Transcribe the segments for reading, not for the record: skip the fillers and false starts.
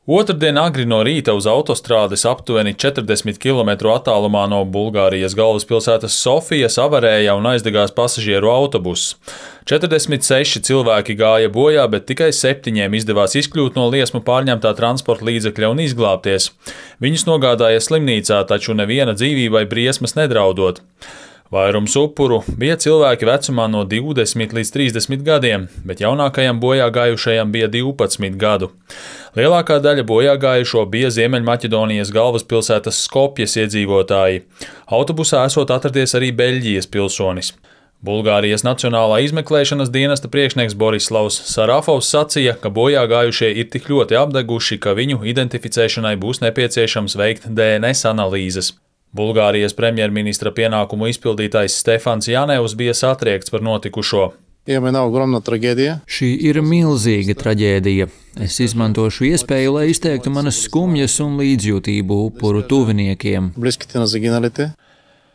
Otrdien agri no rīta uz autostrādes aptuveni 40 km attālumā no Bulgārijas galvaspilsētas Sofijas avarēja un aizdegās pasažieru autobuss. 46 cilvēki gāja bojā, bet tikai 7 izdevās izkļūt no liesmu pārņemtā transporta līdzekļa un izglābties. Viņus nogādāja slimnīcā, taču neviena dzīvībai briesmas nedraudot. Vairums upuru bija cilvēki vecumā no 20 līdz 30 gadiem, bet jaunākajam bojā gājušajam bija 12 gadu. Lielākā daļa bojā gājušo bija Ziemeļmaķedonijas galvaspilsētas Skopjes iedzīvotāji. Autobusā esot atradies arī Beļģijas pilsonis. Bulgārijas Nacionālā izmeklēšanas dienesta priekšnieks Borislavs Sarafovs sacīja, ka bojā gājušie ir tik ļoti apdeguši, ka viņu identificēšanai būs nepieciešams veikt DNS analīzes. Bulgārijas premjerministra pienākumu izpildītājs Stefans Janevs bija satriekts par notikušo. Šī ir milzīga traģēdija. Es izmantošu iespēju, lai izteiktu manas skumjas un līdzjūtību upuru tuviniekiem.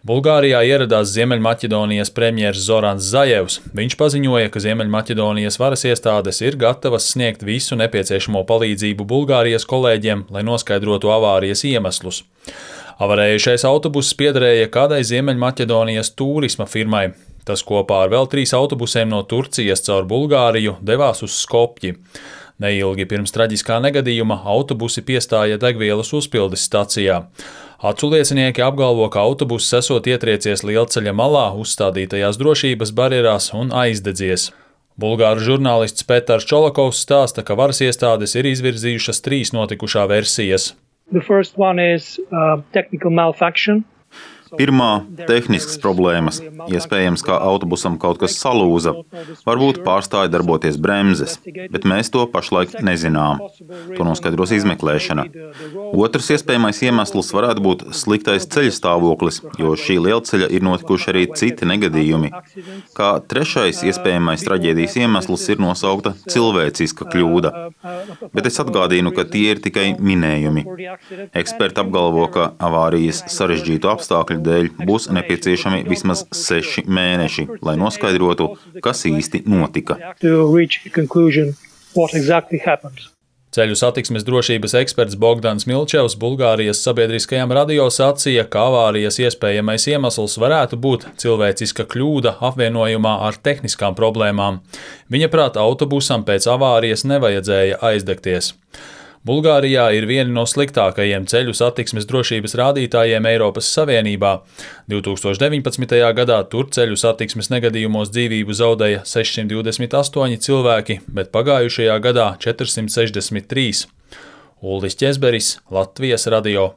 Bulgārijā ieradās Ziemeļmaķedonijas premjers Zorans Zajevs. Viņš paziņoja, ka Ziemeļmaķedonijas varas iestādes ir gatavas sniegt visu nepieciešamo palīdzību Bulgārijas kolēģiem, lai noskaidrotu avārijas iemeslus. Avarējušais autobuss piederēja kādai Ziemeļmaķedonijas turisma firmai. Tas kopā ar vēl 3 autobusiem no Turcijas caur Bulgāriju devās uz Skopji. Neilgi pirms traģiskā negadījuma autobusi piestāja degvielas uzpildes stacijā. Aculiecinieki apgalvo, ka autobuss esot ietriecies lielceļa malā uzstādītajās drošības barjerās un aizdedzies. Bulgāru žurnālists Petars Čolakovs stāsta, ka varas iestādes ir izvirzījušas 3 notikušā versijas. Pirmā – tehniskas problēmas. Iespējams, ka autobusam kaut kas salūza. Varbūt pārstāja darboties bremzes, bet mēs to pašlaik nezinām. To noskaidros izmeklēšana. Otrs iespējamais iemesls varētu būt sliktais ceļa stāvoklis, jo šī lielceļa ir notikuši arī citi negadījumi. Kā trešais iespējamais traģēdijas iemesls ir nosaukta cilvēciska kļūda. Bet es atgādinu, ka tie ir tikai minējumi. Eksperti apgalvo, ka avārijas sarežģītu apstākļu dēļ būs nepieciešami vismaz 6 mēneši, lai noskaidrotu, kas īsti notika. Ceļu satiksmes drošības eksperts Bogdans Milčevs Bulgārijas sabiedriskajam radio sacīja, ka avārijas iespējamais iemesls varētu būt cilvēciska kļūda apvienojumā ar tehniskām problēmām. Viņa prāt, autobusam pēc avārijas nevajadzēja aizdegties. Bulgārijā ir vieni no sliktākajiem ceļu satiksmes drošības rādītājiem Eiropas Savienībā. 2019. gadā tur ceļu satiksmes negadījumos dzīvību zaudēja 628 cilvēki, bet pagājušajā gadā 463. Ulris Ķezberis, Latvijas radio.